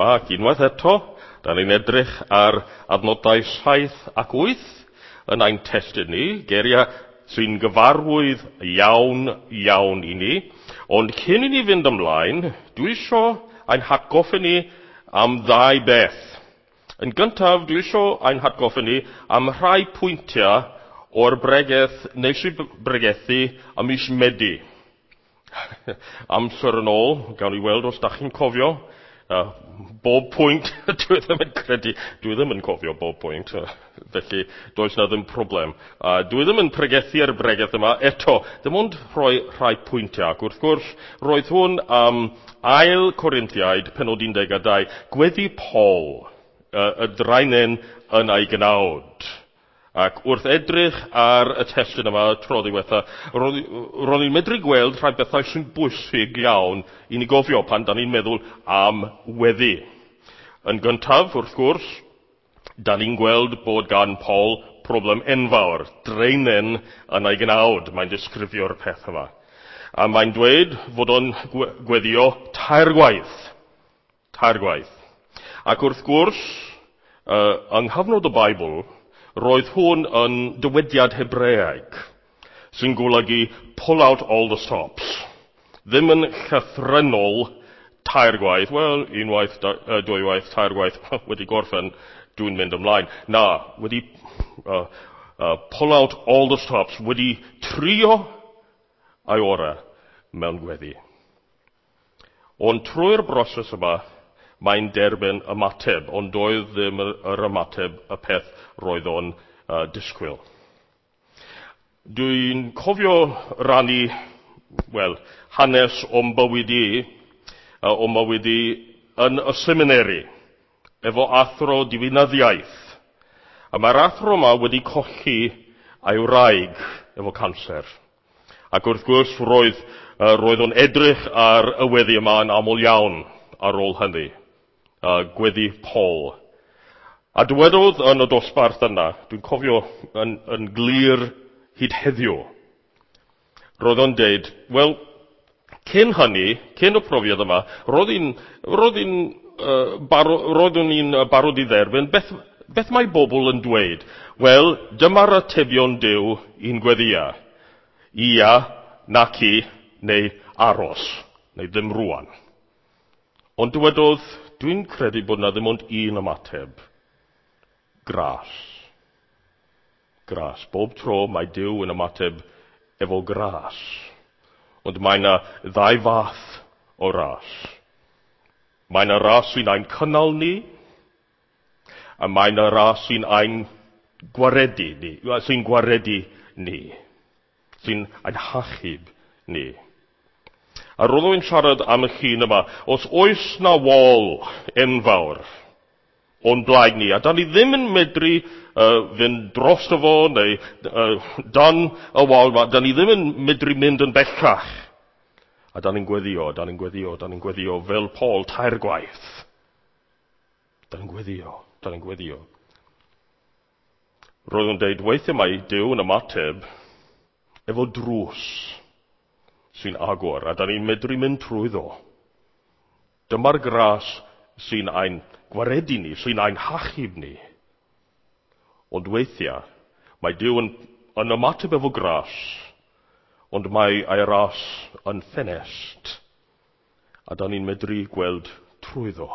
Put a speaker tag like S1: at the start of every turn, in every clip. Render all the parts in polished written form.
S1: Ac unwaith eto, da ni'n edrych ar adnodau 7 ac 8 yn ein testun ni, geiriau sy'n gyfarwydd iawn, iawn i ni. Ond cyn i ni fynd ymlaen, dwi isio ein hatgoffa ni am ddau beth. Yn gyntaf, dwi isio ein hatgoffa ni am rhai pwyntiau o'r bregeth nes i bregethu am mis Medi. Amser yn ôl, gawn ni weld os da chi'n cofio. Bob pwynt, dwi ddim yn credu, dwi ddim yn cofio bob pwynt, felly does na ddim problem. Dwi ddim yn pregethu ar y bregeth yma eto, dim ond rhoi rhai pwyntiau. Ac wrth gwrs, roedd hwn am ail Corinthiaid, penod 12, gweddi Paul, y draenen yn ei gnawd. Ac wrth edrych ar y testun yma tro ddiwetha, ro'n i'n medru gweld rhai bethau sy'n bwysig iawn i ni gofio pan da ni'n meddwl am weddi. Yn gyntaf, wrth gwrs, da ni'n gweld bod gan Paul problem enfawr, draenen yn ei gnawd, mae'n disgrifio'r peth yma. A mae'n dweud fod o'n gweddio tair gwaith. Tair gwaith. Ac wrth gwrs, yng nghyfnod y Beibl, roedd hwn yn dywediad Hebreaeg sy'n golygu pull out all the stops. Ddim yn llythrennol tair gwaith, wel, unwaith, dwywaith, tair gwaith, wedi gorffen, dwi'n mynd ymlaen. Na, wedi pull out all the stops, wedi trio ei orau mewn gweddi. Ond trwy'r broses yma, mae'n derbyn ymateb, ond doedd ddim yr ymateb y peth roedd o'n disgwyl. Dwi'n cofio rannu, wel, hanes o'm bywyd i, o'm bywyd i yn y seminary, efo athro diwinyddiaeth. A mae'r athro yma wedi colli ei wraig efo canser. Ac wrth gwrs, roedd o'n edrych ar y weddi yma yn aml iawn ar ôl hynny. Gweddi Paul. A dywedodd yn y dosbarth yna, dwi'n cofio yn glir hyd heddiw, roedd o'n deud, wel, cyn hynny, cyn y profiad yma, roeddwn i'n barod i dderbyn, beth mae bobl yn dweud? Wel, dyma'r atebion Duw i'n gweddia. Ia, naci, neu aros, neu ddim rwan. Ond dywedodd, dwi'n credu bod na ddim ond un ymateb. Gras. Gras. Bob tro mae Duw yn ymateb efo gras. Ond mae na ddau fath o ras. Mae na ras sy'n ein cynnal ni, a mae na ras sy'n ein gwaredu ni, sy'n gwaredu ni, sy'n ein hachub ni. A roedd o'n siarad am y llun yma, os oes na wal enfawr o'n blaen ni, a da ni ddim yn medru fynd drosto fo, neu dan y wal yma, da ni ddim yn medru mynd yn bellach. A da ni'n gweddio, da ni'n gweddio, da ni'n gweddio, fel Paul tair gwaith. Da ni'n gweddio, da ni'n gweddio. Roedd o'n deud, weithiau mae Duw yn ymateb efo drws sy'n agor, a da ni'n medru mynd trwyddo. Dyma'r gras sy'n ein gwaredu ni, sy'n ein hachub ni. Ond weithiau, mae Duw yn ymateb efo gras, ond mae ei ras yn ffenest, a da ni'n medru gweld trwyddo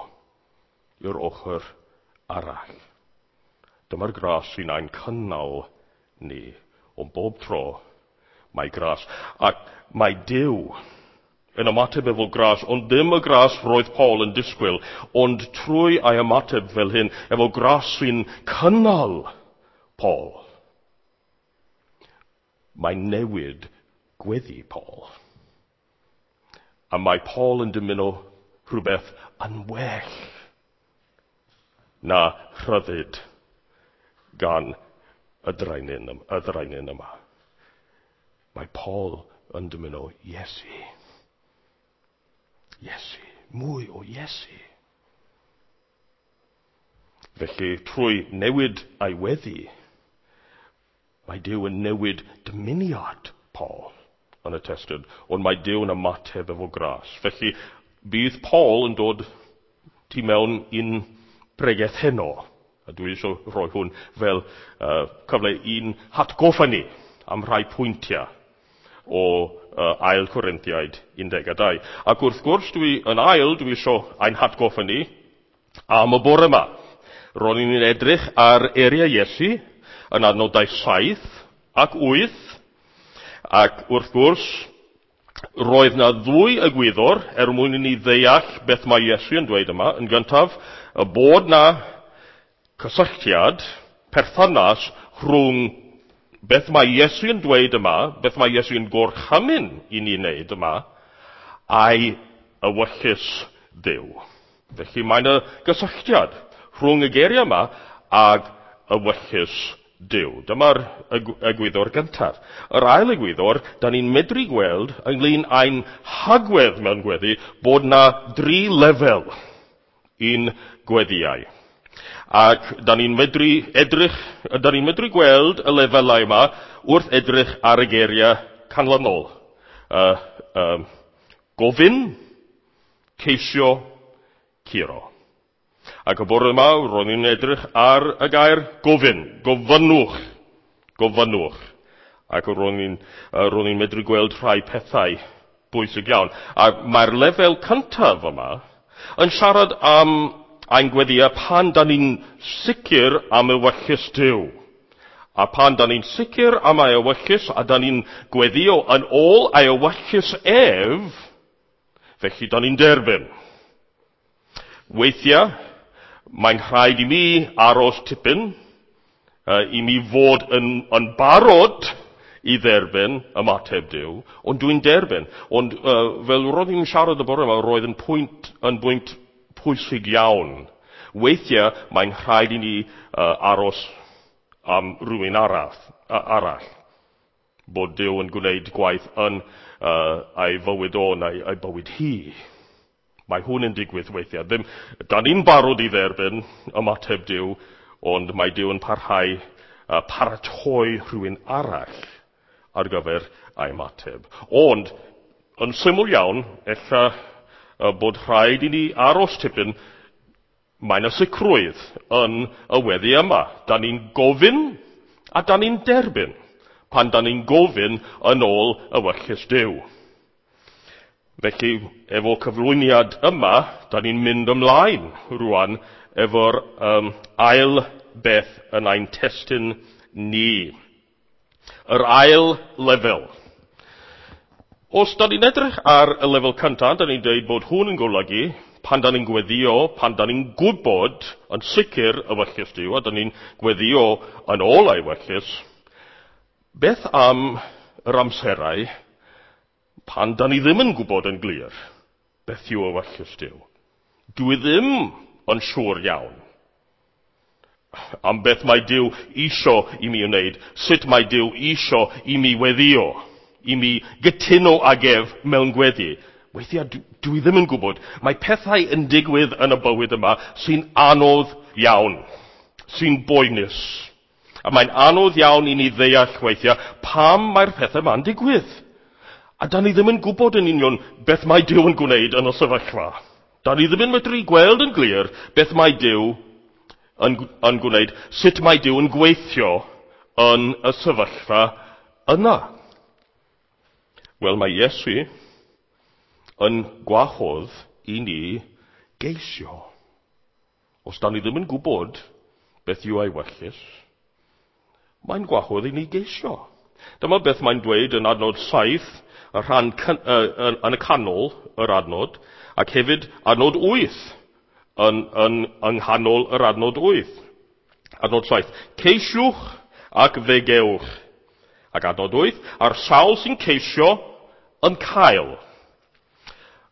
S1: i'r ochr arall. Dyma'r gras sy'n ein cynnal ni, ond bob tro mae gras. Ac mae Duw yn ymateb efo gras, ond ddim y gras roedd Paul yn disgwyl, ond trwy ei ymateb fel hyn, efo gras sy'n cynnal Paul. Mae'n newid gweddi Paul. A mae Paul yn dymuno rhywbeth yn well na rhyddid gan y draenen yma. Mae Paul yn dymuno Iesu. Iesu. Mwy o Iesu. Felly, trwy newid ei weddi, mae Duw yn newid dymuniad Paul yn y testun, ond mae Duw yn ymateb efo gras. Felly, bydd Paul yn dod tu mewn i'n pregeth heno. A dwi eisiau rhoi hwn fel cyfle i'n hatgoffa ni am rhai pwyntiau o Ail Corinthiaid 12. Ac wrth gwrs, dwi yn ail, dwi eisiau ein hatgoffa ni am y bore yma. Ro'n i'n edrych ar eiriau Iesu yn adnodau 7 ac 8, ac wrth gwrs, roedd na ddwy egwyddor er mwyn i ni ddeall beth mae Iesu yn dweud yma. Yn gyntaf, y bod na cysylltiad, perthynas rhwng beth mae Iesu yn dweud yma, beth mae Iesu yn gorchymyn i ni wneud yma, a'i ewyllys Dduw. Felly mae yna gysylltiad rhwng y geiriau yma ag ewyllys Duw. Dyma'r egwyddor gyntaf. Yr ail egwyddor, da ni'n medru gweld ynglyn â'n hagwedd mewn gweddi bod na dri lefel i'n gweddiau. Ac da ni'n medru edrych, da ni'n medru gweld y lefelau yma wrth edrych ar y geiriau canlynol. Gofyn, ceisio, curo. Ac y bore yma, ro'n i'n edrych ar y gair gofyn, gofynnwch, gofynnwch. Ac ro'n i'n medru gweld rhai pethau bwysig iawn. A mae'r lefel cyntaf yma yn siarad am ein gweddiau pan da ni'n sicr am ewyllys Duw. A pan da ni'n sicr am ei ewyllys a da ni'n gweddio yn ôl ei ewyllys ef, felly da ni'n derbyn. Weithiau, mae'n rhaid i mi aros tipyn, i mi fod yn barod i dderbyn ymateb Duw, ond dwi'n derbyn. Ond fel roedd i'n siarad y bore yma, roedd yn pwynt pwysig iawn. Weithiau, mae'n rhaid i ni aros am rhywun arall. Bod Duw yn gwneud gwaith yn ei fywyd o neu ei bywyd hi. Mae hwn yn digwydd weithiau. Ddim, da ni'n barod i dderbyn ymateb Duw, ond mae Duw yn parhau paratoi rhywun arall ar gyfer ei ymateb. Ond, yn syml iawn, ella bod rhaid i ni aros tipyn, mae yna sicrwydd yn y weddi yma. Da ni'n gofyn a da ni'n derbyn pan da ni'n gofyn yn ôl ewyllys Duw. Felly, efo cyflwyniad yma, da ni'n mynd ymlaen rwan efo'r ail beth yn ein testun ni. Yr ail lefel. Os da ni'n edrych ar y lefel cyntaf, da ni'n dweud bod hwn yn golygu pan da ni'n gweddio, pan da ni'n gwybod yn sicr ewyllys Duw, a da ni'n gweddio yn ôl ei ewyllys, beth am yr amserau pan da ni ddim yn gwybod yn glir beth yw ewyllys Duw? Dwi ddim yn siŵr iawn am beth mae Duw isio i mi wneud, sut mae Duw isio i mi weddio, i mi gytuno ag ef mewn gweddi. Weithiau dwi ddim yn gwybod. Mae pethau yn digwydd yn y bywyd yma sy'n anodd iawn, sy'n boenus. A mae'n anodd iawn i ni ddeall weithiau pam mae'r pethau yma'n digwydd. A da ni ddim yn gwybod yn union beth mae Duw yn gwneud yn y sefyllfa. Da ni ddim yn medru gweld yn glir beth mae Duw yn gwneud, sut mae Duw yn gweithio yn y sefyllfa yna. Wel, mae Iesu yn gwahodd i ni geisio. Os da ni ddim yn gwybod beth yw ei ewyllys, mae'n gwahodd i ni geisio. Dyma beth mae'n dweud yn adnod 7, y rhan yn y canol yr adnod, ac hefyd adnod 8, yn nghanol yr adnod 8. Adnod 7, ceisiwch ac fe gewch. Ac adnod 8, a'r sawl sy'n ceisio yn cael.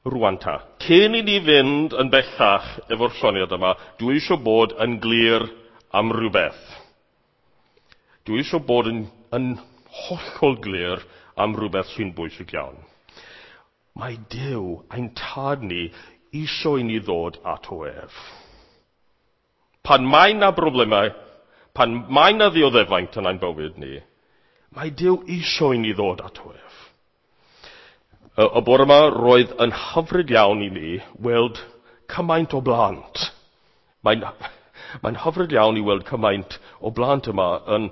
S1: Rwan ta, cyn i ni fynd yn bellach efo'r syniad yma, dwi eisiau bod yn glir am rhywbeth. Dwi eisiau bod yn hollol glir am rhywbeth sy'n bwysig iawn. Mae Duw, ein tad ni, eisiau i ni ddod ato ef. Pan mae na broblemau, pan mae na ddioddefaint yn ein bywyd ni, mae Duw eisiau i ni ddod ato ef. Y bore yma roedd yn hyfryd iawn i mi weld cymaint o blant. Mae'n hyfryd iawn i weld cymaint o blant yma yn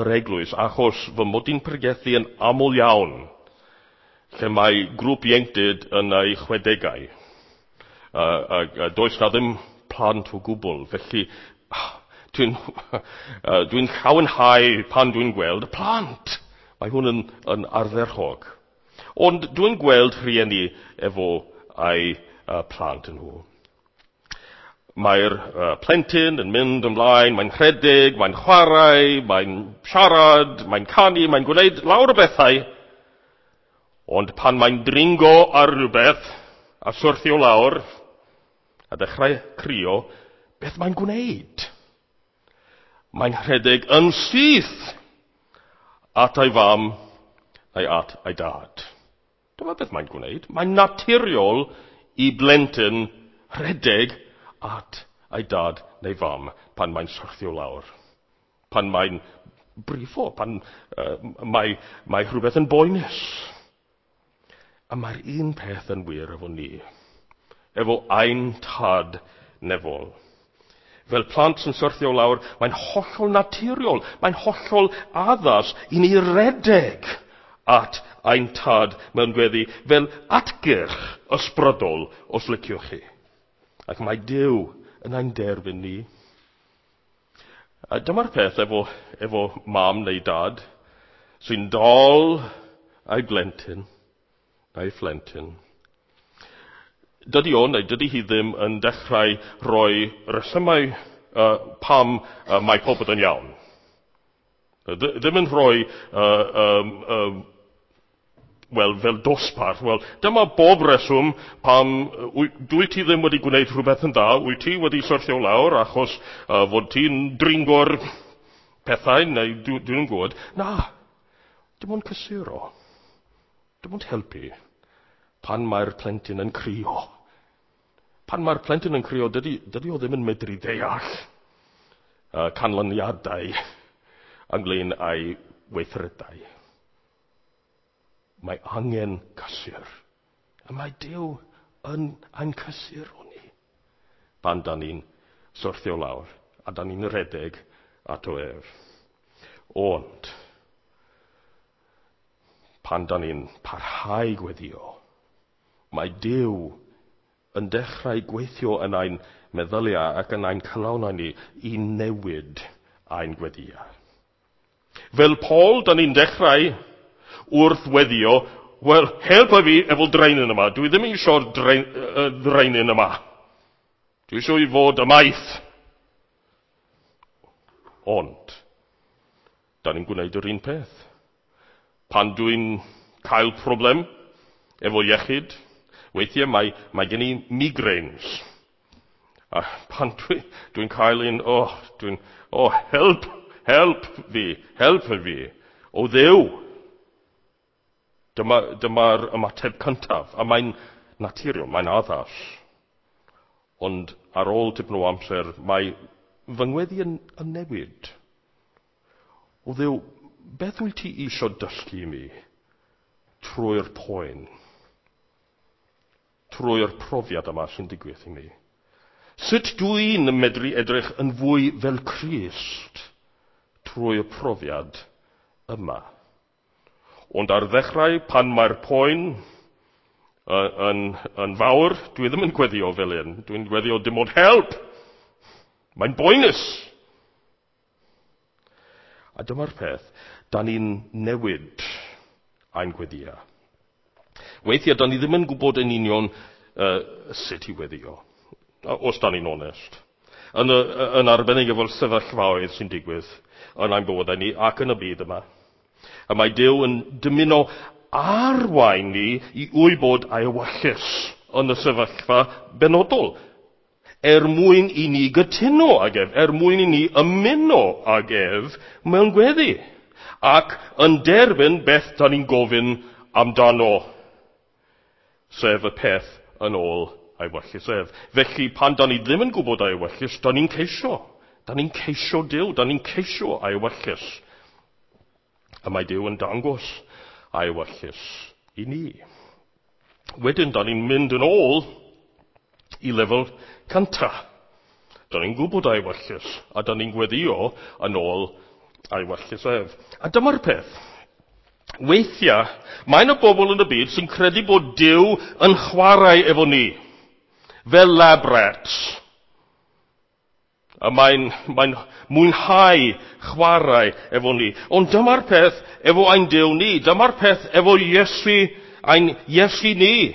S1: yr eglwys, achos fy mod i'n pregethu yn aml iawn, lle mae grŵp ieuenctid yn ei 60au. Does na ddim plant o gwbl, felly dwi'n llawenhau pan dwi'n gweld y plant. Mae hwn yn ardderchog. Ond dwi'n gweld rhieni efo ei plant nhw. Mae'r plentyn yn mynd ymlaen, mae'n rhedeg, mae'n chwarae, mae'n siarad, mae'n canu, mae'n gwneud lawr o bethau. Ond pan mae'n dringo ar rhywbeth a syrthio lawr a dechrau crio, beth mae'n gwneud? Mae'n rhedeg yn syth at ei fam neu at ei dad. Dyma beth mae'n gwneud. Mae'n naturiol i blentyn rhedeg at ei dad neu fam pan mae'n syrthio lawr. Pan mae'n brifo, pan mae rhywbeth yn boenus. A mae'r un peth yn wir efo ni, efo ein tad nefol. Fel plant sy'n syrthio lawr, mae'n hollol naturiol, mae'n hollol addas i ni redeg at ein tad mewn gweddi fel atgyrch ysbrydol, os liciwch chi. Ac mae Duw yn ein derbyn ni. A dyma'r peth efo mam neu dad sy'n dal ei blentyn neu phlentyn. Dydy o neu dydy hi ddim yn dechrau rhoi resymau pam mae popeth yn iawn. Ddim yn rhoi, wel, fel dosbarth. Wel, dyma bob reswm pam dwi ti ddim wedi gwneud rhywbeth yn dda, wyt ti wedi syrthio lawr achos fod ti'n dringo'r pethau, neu dwi'n gwybod. Na, dim ond cysuro. Dim ond helpu pan mae'r plentyn yn crio. Pan mae'r plentyn yn crio, dydy o ddim yn medru ddeall canlyniadau ynglyn â'i weithredau. Mae angen cysur. A mae Duw yn ein cysur o ni. Pan da ni'n syrthio lawr a da ni'n rhedeg ato ef. Ond, pan da ni'n parhau gweddio, mae Duw yn dechrau gweithio yn ein meddyliau ac yn ein calonnau ni i newid ein gweddiau. Fel Paul, da ni'n dechrau wrth weddio, wel, helpa fi efo draenyn yma. Dwi ddim eisiau'r draenyn yma. Dwi eisiau i fod ymaith. Ond, da ni'n gwneud yr un peth. Pan dwi'n cael problem efo iechyd, weithiau mae gen i migraines. A pan dwi'n cael un, help fi, o Dduw. Dyma'r ymateb cyntaf, a mae'n naturiol, mae'n addas. Ond ar ôl tipyn o amser, mae fy ngweddi yn newid. O Dduw, beth wyt ti eisiau dysgu i mi trwy'r poen, trwy'r profiad yma sy'n digwydd i mi? Sut dwi'n medru edrych yn fwy fel Crist trwy'r profiad yma? Ond ar ddechrau, pan mae'r poen yn fawr, dwi ddim yn gweddio fel un. Dwi'n gweddio dim ond help. Mae'n boenus. A dyma'r peth, da ni'n newid ein gweddia. Weithiau, da ni ddim yn gwybod yn union sut i weddio, os da ni'n onest. Yn arbennig efo'r sefyllfaoedd sy'n digwydd yn ein bywydau ni ac yn y byd yma. A mae Duw yn dymuno arwain ni i wybod ei ewyllys yn y sefyllfa benodol, er mwyn i ni gytuno ag ef, er mwyn i ni ymuno ag ef mewn gweddi, ac yn derbyn beth da ni'n gofyn amdano, sef y peth yn ôl ei ewyllys ef. Felly, pan da ni ddim yn gwybod ei ewyllys, da ni'n ceisio. Da ni'n ceisio Duw, da ni'n ceisio ei ewyllys. A mae Duw yn dangos ei ewyllys i ni. Wedyn, da ni'n mynd yn ôl I lefel cynta. Da ni'n gwybod ei ewyllys, a da ni'n gweddio yn ôl ei ewyllys ef. A dyma'r peth. Weithiau, mae yna bobl yn y byd sy'n credu bod Duw yn chwarae efo ni, fel lab rats. A mae'n mwynhau chwarae efo ni. Ond dyma'r peth efo ein Duw ni. Dyma'r peth efo Iesu, ein Iesu ni.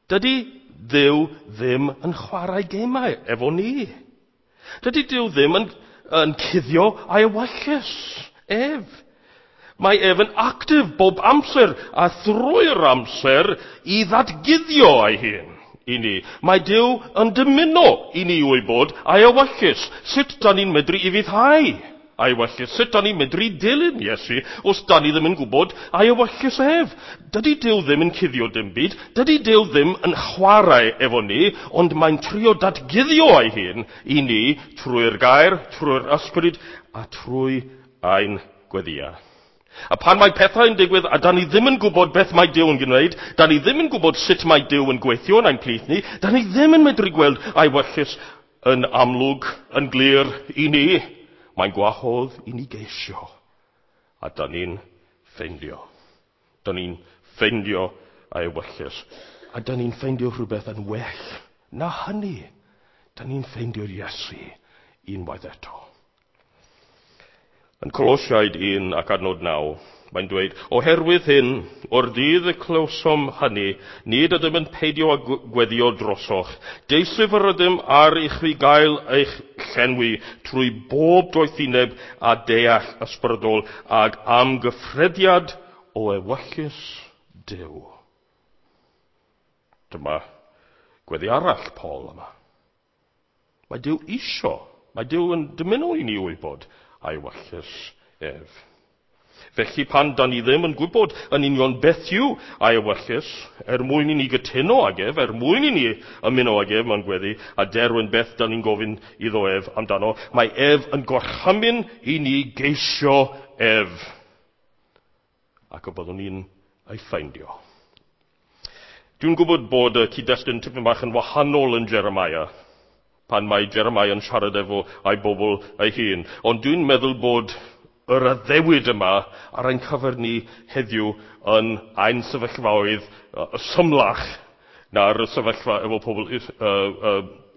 S1: Dydy Dduw ddim yn chwarae gemau efo ni. Dydy Duw ddim yn cuddio ei ewyllys ef. Mae ef yn actif bob amser a thrwy'r amser i ddatguddio ei hun i ni. Mae Duw yn dymuno i ni wybod ei ewyllys. Sut da ni'n medru ufuddhau ei ewyllys? Sut da ni'n medru dilyn Iesu os da ni ddim yn gwybod ei ewyllys ef? Dydy Duw ddim yn cuddio dim byd. Dydy Duw ddim yn chwarae efo ni, ond mae'n trio datguddio ei hun i ni trwy'r gair, trwy'r ysbryd a trwy ein gweddïau. A pan mae pethau yn digwydd a da ni ddim yn gwybod beth mae Duw yn gwneud, da ni ddim yn gwybod sut mae Duw yn gweithio yn ein plith ni, da ni ddim yn medru gweld ei ewyllys yn amlwg, yn glir i ni. Mae'n gwahodd i ni geisio. A da ni'n ffeindio. Da ni'n ffeindio ei ewyllys. A da ni'n ffeindio rhywbeth yn well na hynny. Da ni'n ffeindio'r Iesu unwaith eto. Yn Colosiaid 1 ac adnod 9, mae'n dweud, oherwydd hyn, o'r dydd y clywsom hynny, nid ydym yn peidio â gweddio drosoch. Deisyf yr ydym ar i chwi gael eich llenwi trwy bob doethineb a deall ysbrydol ag amgyffrediad o ewyllys Duw. Dyma gweddi arall Paul yma. Mae Duw isio, mae Duw yn dymuno i ni wybod a'i ewyllys ef. Felly pan da ni ddim yn gwybod yn union beth yw ei ewyllys, er mwyn i ni gytuno ag ef, er mwyn i ni ymuno ag ef mewn gweddi, a derwyn beth da ni'n gofyn iddo ef amdano, mae ef yn gorchymyn i ni geisio ef. Ac y byddwn ni'n ei ffeindio. Dwi'n gwybod bod y cyd-destun tipyn bach yn wahanol yn Jeremiah, pan mae Jeremiah yn siarad efo ei bobl ei hun. Ond dwi'n meddwl bod yr addewid yma ar ein cyfer ni heddiw yn ein sefyllfaoedd symlach na'r sefyllfa efo pobl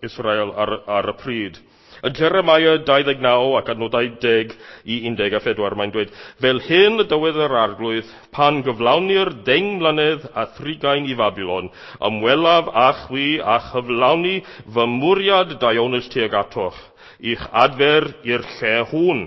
S1: Israel ar y pryd. Yn Jeremiah 29 ac adnodau 10 i 14 mae'n dweud, fel hyn y dywed yr arglwydd, pan gyflawnir 10 mlynedd a 30 i Fabilon, ymwelaf â chwi a chyflawni fy mwriad daionus tuag atoch, i'ch adfer i'r lle hwn.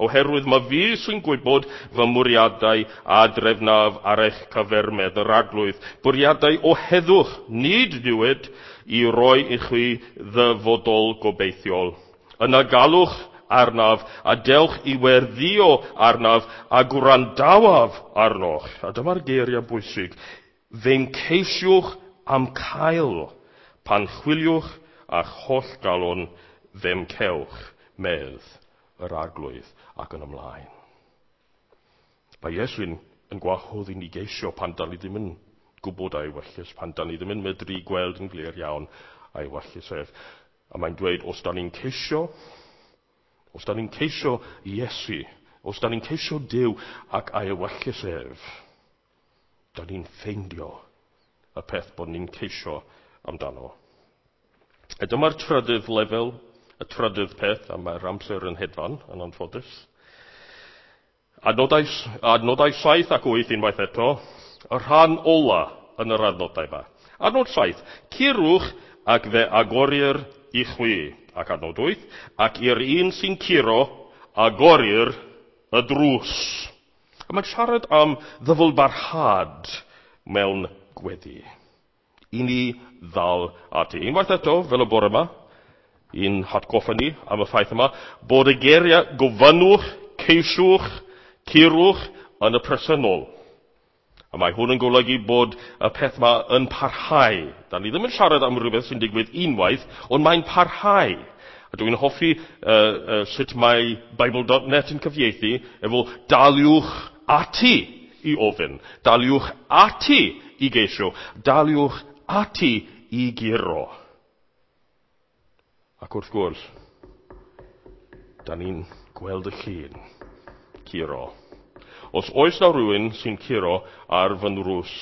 S1: Oherwydd mae fi sy'n gwybod fy mwriadau a drefnaf ar eich cyfer medd yr arglwydd. Bwriadau o heddwch, nid niwed, i roi i chwi ddyfodol gobeithiol. Yna galwch arnaf a dewch i werddio arnaf a gwrandawaf arnoch. A dyma'r geiriau bwysig. Fe'n ceisiwch am cael, pan chwiliwch a'ch holl galon fe'm cewch, medd yr arglwydd ac yn ymlaen. Mae Iesu'n yn gwahodd i ni geisio pan da ni ddim yn gwybod ei ewyllys, pan da ni ddim yn medru gweld yn glir iawn ei ewyllys ef. A mae'n dweud, os da ni'n ceisio Iesu, os da ni'n ceisio Duw ac ei ewyllys ef, da ni'n ffeindio y peth bod ni'n ceisio amdano. A dyma'r trydydd lefel, y trydydd peth, a mae'r amser yn hedfan, yn anffodus. Adnodau 7 ac 8 unwaith eto, y rhan ola yn yr adnodau yma. Adnod 7, curwch ac fe agorir i chwi. Ac adnod 8, ac i'r un sy'n curo, agorir y drws. A mae'n siarad am ddyfalbarhad mewn gweddi. I ni ddal ati. Unwaith eto, fel y bore yma, i'n hatgoffa ni am y ffaith yma, bod y geiriau gofynnwch, ceisiwch, curwch yn y presennol. A mae hwn yn golygu bod y peth yma yn parhau. Da ni ddim yn siarad am rhywbeth sy'n digwydd unwaith, ond mae'n parhau. A dwi'n hoffi sut mae Bible.net yn cyfieithu efo daliwch ati i ofyn, daliwch ati i geisio, daliwch ati i guro. Ac wrth gwrs, da ni'n gweld y llun curo. Os oes na rhywun sy'n curo ar fy nrws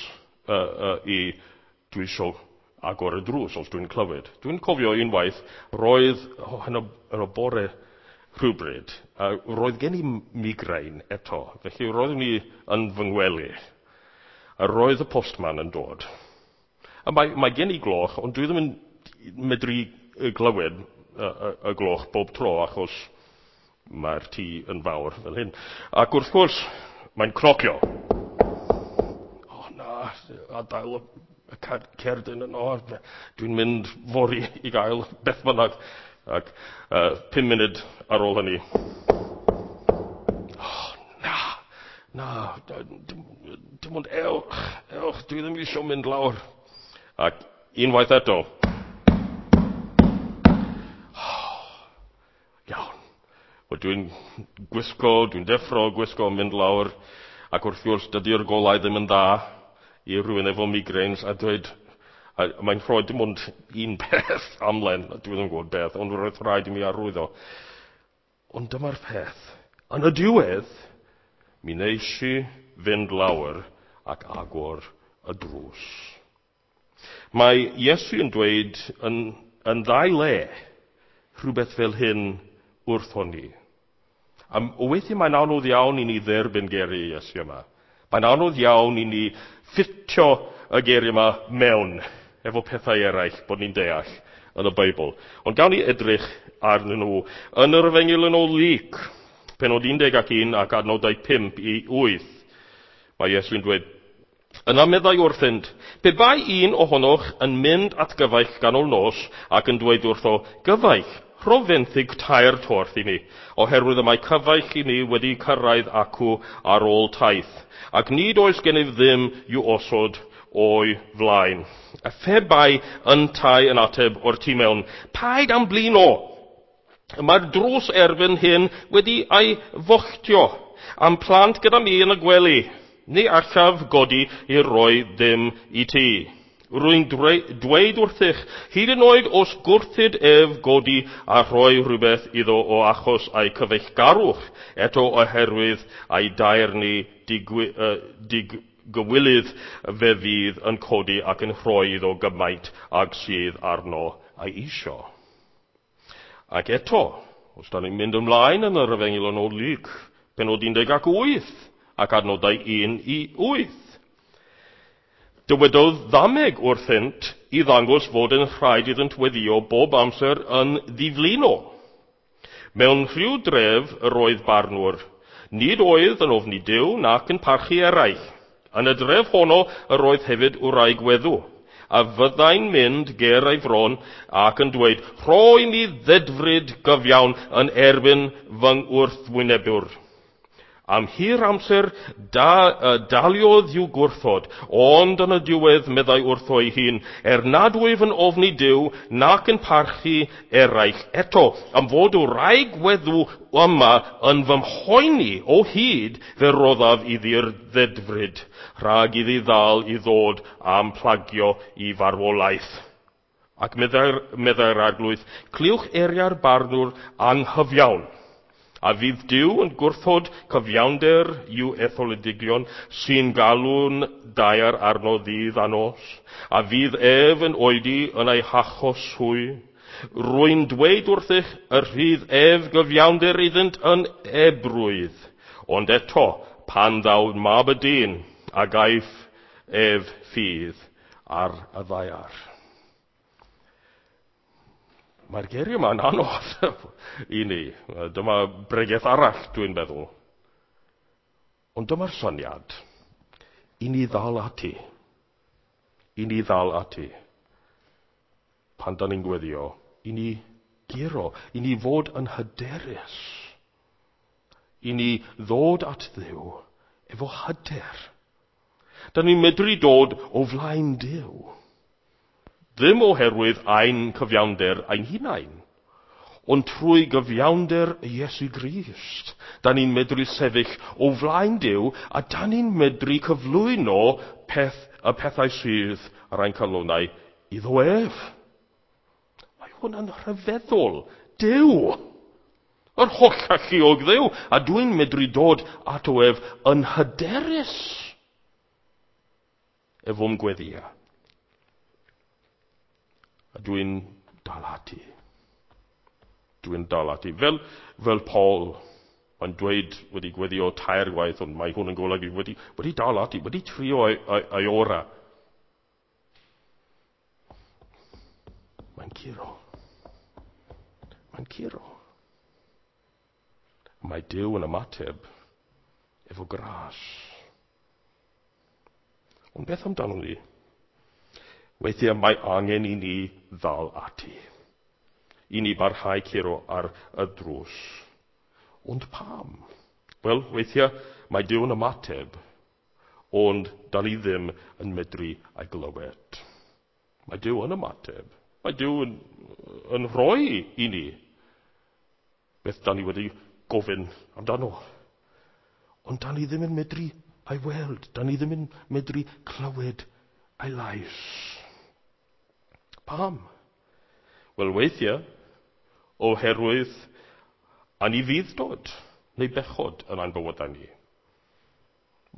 S1: i dwi isio agor y drws os dwi'n clywed. Dwi'n cofio unwaith, roedd yn y bore rhywbryd, roedd gen i migraine eto, felly roeddwn i yn fy ngwely, a roedd y postman yn dod. A mae gen i gloch, ond dwi ddim yn medru glywed y gloch bob tro, achos mae'r tŷ yn fawr fel hyn. Ac wrth gwrs, mae'n cnocio. O na, adael y cerdyn yno, dwi'n mynd fory i gael beth bynnag. Ac 5 munud ar ôl hynny, oh, na, dim ond ewch, dwi ddim eisiau mynd lawr. Ac unwaith eto, iawn. Wel, dwi'n gwisgo, dwi'n deffro, gwisgo, mynd lawr, ac wrth gwrs dydy'r golau ddim yn dda i rhywun efo migraines a dweud, a mae'n rhoi dim ond un peth amlen, dwi ddim yn gwybod beth, ond roedd rhaid i mi arwyddo. Ond dyma'r peth. Yn y diwedd, mi wnes i fynd lawr ac agor y drws. Mae Iesu yn dweud yn ddau le rhywbeth fel hyn wrthon ni. A weithiau mae'n anodd iawn i ni dderbyn geiriau Iesu yma. Mae'n anodd iawn i ni ffitio y geiriau yma mewn efo pethau eraill bod ni'n deall yn y Beibl. Ond gawn ni edrych arnyn nhw yn yr Efengyl yn ôl Luc, pennod 11 ac adnodau 5 i 8. Mae Iesu'n dweud, yna meddai wrthynt, pe bai un ohonoch yn mynd at gyfaill ganol nos ac yn dweud wrtho, gyfaill, rho fenthyg 3 torth i mi, oherwydd y mae cyfaill i mi wedi cyrraedd acw ar ôl taith, ac nid oes gennyf ddim i'w osod o'i flaen. A phe bai yntau yn ateb o'r tu mewn, paid am blino, mae'r drws erbyn hyn wedi ei fochtio, am plant gyda mi yn y gwely, ni allaf godi i roi ddim i ti. Rwy'n dweud wrthych, hyd yn oed os gwrthyd ef godi a rhoi rhywbeth iddo o achos ei cyfeillgarwch, eto oherwydd ei daerni diggywilydd fe fydd yn codi ac yn rhoi iddo gymaint ag sydd arno ei isio. Ac eto, os da ni'n mynd ymlaen yn yr Efengyl yn ôl Luc, pennod 18 ac adnodau 1 i 8. Dywedodd ddameg wrthynt i ddangos fod yn rhaid iddynt weddio bob amser yn ddiflino. Mewn rhyw dref yr oedd barnwr. Nid oedd yn ofni Duw nac yn parchu eraill. Yn y dref honno yr oedd hefyd wraig weddw, a fyddai'n mynd ger ei fron ac yn dweud, rhoi mi ddedfryd gyfiawn yn erbyn fy ngwrthwynebwr. Am hir amser daliodd i'w gwrthod, ond yn y diwedd meddai wrtho ei hun, nad wyf yn ofni Duw nac yn parchu eraill eto, am fod wraig weddw yma yn fy mhoeni o hyd, fe roddaf iddi'r ddedfryd, rhag iddi ddal i ddod am plagio i farwolaeth. Ac meddai'r arglwydd, clywch eiriau'r barnwr anghyfiawn. A fydd Duw yn gwrthod cyfiawnder i'w etholedigion sy'n galw'n daear arno ddydd a nos? A fydd ef yn oedi yn ei hachos hwy? Rwy'n dweud wrthych y rhydd ef gyfiawnder iddynt yn ebrwydd. Ond eto, pan ddaw mab y dyn, a gaiff ef ffydd ar y ddaear. Mae'r geiriau yma'n anodd i ni. Dyma bregeth arall, dwi'n meddwl. Ond dyma'r syniad. I ni ddal ati. I ni ddal ati. Pan da ni'n gweddio, i ni guro, i ni fod yn hyderus. I ni ddod at Dduw efo hyder. Da ni'n medru dod o flaen Duw. Ddim oherwydd ein cyfiawnder ein hunain, ond trwy gyfiawnder Iesu Grist. Da ni'n medru sefyll o flaen Duw a da ni'n medru cyflwyno y pethau sydd ar ein calonnau iddo ef. Mae hwn yn rhyfeddol. Duw! Yr holl alluog Dduw, a dwi'n medru dod ato ef yn hyderus efo'm gweddia. A dwi'n dal ati. Dwi'n dal ati. Fel Paul, mae'n dweud wedi gweddio 3 gwaith, ond mae hwn yn golygu wedi dal ati, wedi trio ei ora. Mae'n curo. Mae'n curo. Mae Duw yn ymateb efo gras. Ond beth amdano ni? Weithiau mae angen i ni ddal ati. I ni barhau curo ar y drws. Ond pam? Wel, weithiau mae Duw yn ymateb, ond da ni ddim yn medru ei glywed. Mae Duw yn ymateb. Mae Duw yn rhoi i ni beth da ni wedi gofyn amdano. Ond da ni ddim yn medru ei weld. Da ni ddim yn medru clywed ei lais. Pam? Wel, weithiau, oherwydd anufudd-dod neu bechod yn ein bywydau ni.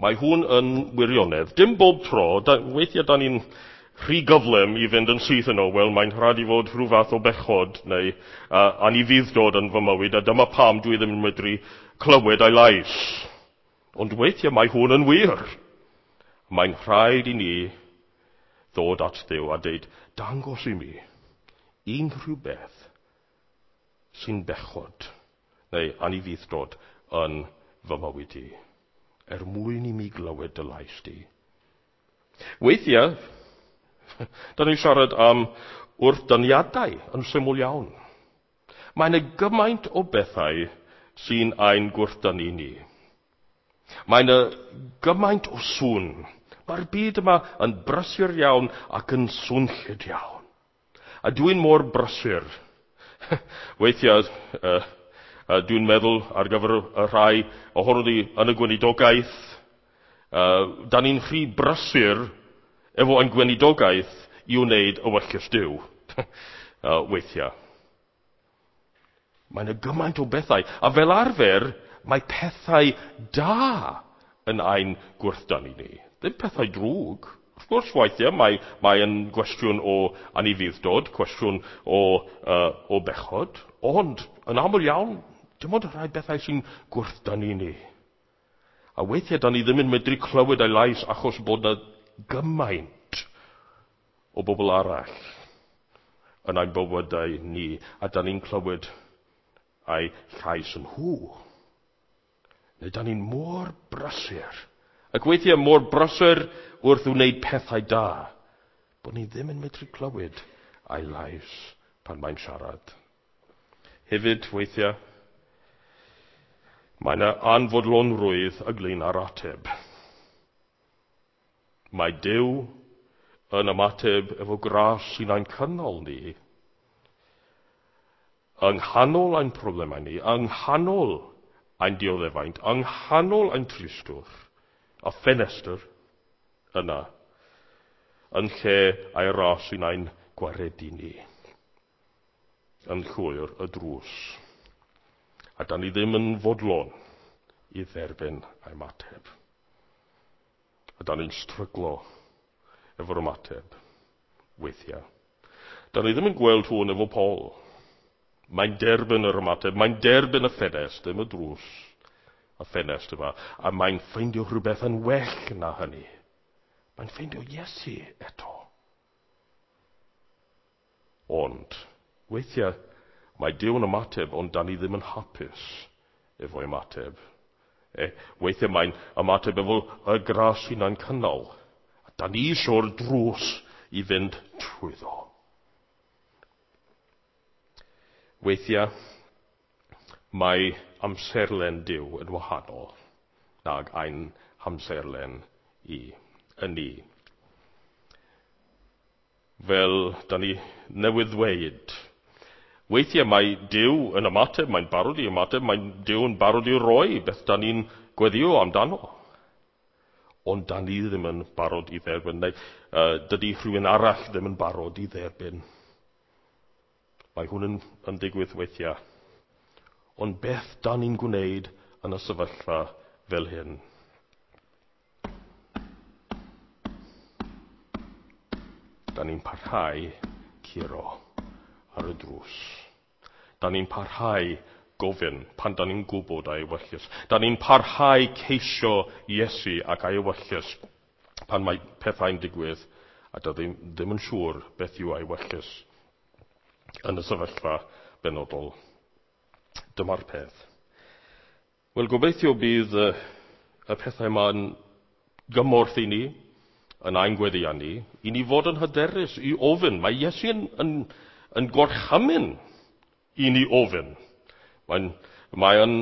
S1: Mae hwn yn wirionedd. Dim bob tro, weithiau da ni'n rhy gyflym i fynd yn syth yno, wel, mae'n rhaid i fod rhyw fath o bechod neu anufudd-dod yn fy mywyd, a dyma pam dwi ddim yn medru clywed ei lais. Ond weithiau mae hwn yn wir. Mae'n rhaid i ni ddod at Dduw a deud, dangos i mi unrhyw beth sy'n bechod neu anufudd-dod yn fy mywyd i, er mwyn i mi glywed dy lais di. Weithiau, da ni'n siarad am wrthdyniadau yn syml iawn. Mae yna gymaint o bethau sy'n ein gwrthdynnu ni. Mae yna gymaint o sŵn. Mae'r byd yma yn brysur iawn ac yn swnllyd iawn. A dwi'n mor brysur. Weithiau, dwi'n meddwl ar gyfer y rhai ohono ni yn y gweinidogaeth, da ni'n rhy brysur efo ein gweinidogaeth i wneud ewyllys Duw. Weithiau. Mae yna gymaint o bethau, a fel arfer, mae pethau da yn ein gwrthdynnu ni. Ddim pethau drwg. Wrth gwrs, weithiau, mae yn gwestiwn o anufudd-dod, cwestiwn o bechod, ond yn aml iawn, dim ond rhai bethau sy'n gwrthdynnu ni. A weithiau, da ni ddim yn medru clywed ei lais achos bod yna gymaint o bobl arall yn ein bywydau ni, a da ni'n clywed ei llais yn nhw. Neu da ni'n mor brysur, ac weithiau mor brysur wrth wneud pethau da, bod ni ddim yn medru clywed ei lais pan mae'n siarad. Hefyd, weithiau, mae yna anfodlonrwydd ynglyn â'r ateb. Mae Duw yn ymateb efo gras sy'n ein cynnal ni, yng nghanol ein problemau ni, yng nghanol ein dioddefaint, yng nghanol ein tristwch, a ffenestr yna, yn lle ei ras sy'n ein gwaredu ni, yn llwyr y drws. A da ni ddim yn fodlon i dderbyn ei ymateb. A da ni'n stryglo efo'r ymateb weithiau. Da ni ddim yn gweld hwn efo Paul. Mae'n derbyn yr ymateb, mae'n derbyn y ffenest, ddim y drws, y ffenest yma, a mae'n ffeindio rhywbeth yn well na hynny. Mae'n ffeindio Iesu eto. Ond, weithiau, mae Duw yn ymateb, ond da ni ddim yn hapus efo'i ymateb. Weithiau mae'n ymateb efo y gras hunan cynnal. A da ni eisiau'r drws i fynd trwyddo. Weithiau, mae amserlen Duw yn wahanol nag ein hamserlen i yn ni. Fel da ni newydd ddweud, weithiau mae Duw yn ymateb, mae'n barod i ymateb, mae Duw yn barod i roi beth da ni'n gweddio amdano. Ond da ni ddim yn barod i dderbyn, neu dydy rhywun arall ddim yn barod i dderbyn. Mae hwn yn digwydd weithiau. Ond beth da ni'n gwneud yn y sefyllfa fel hyn? Da ni'n parhau curo ar y drws. Da ni'n parhau gofyn pan da ni'n gwybod ei ewyllys. Da ni'n parhau ceisio Iesu ac ei ewyllys pan mae pethau'n digwydd a da ddim yn siŵr beth yw ei ewyllys yn y sefyllfa benodol. Dyma'r peth. Wel, gobeithio bydd y pethau yma'n gymorth i ni, yn ein gweddiau ni, i ni fod yn hyderus i ofyn. Mae Iesu yn gorchymyn i ni ofyn. Mae'n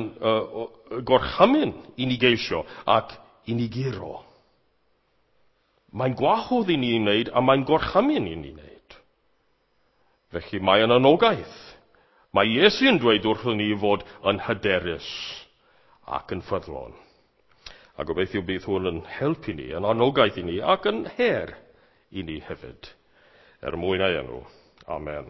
S1: gorchymyn i ni geisio ac i ni guro. Mae'n gwahodd i ni wneud a mae'n gorchymyn i ni wneud. Felly mae'n anogaeth. Mae Iesu yn dweud wrthyn ni fod yn hyderus ac yn ffyddlon. A gobeithio bydd hwn yn helpu ni, yn anogaeth i ni ac yn her i ni hefyd. Er mwyn ei enw. Amen.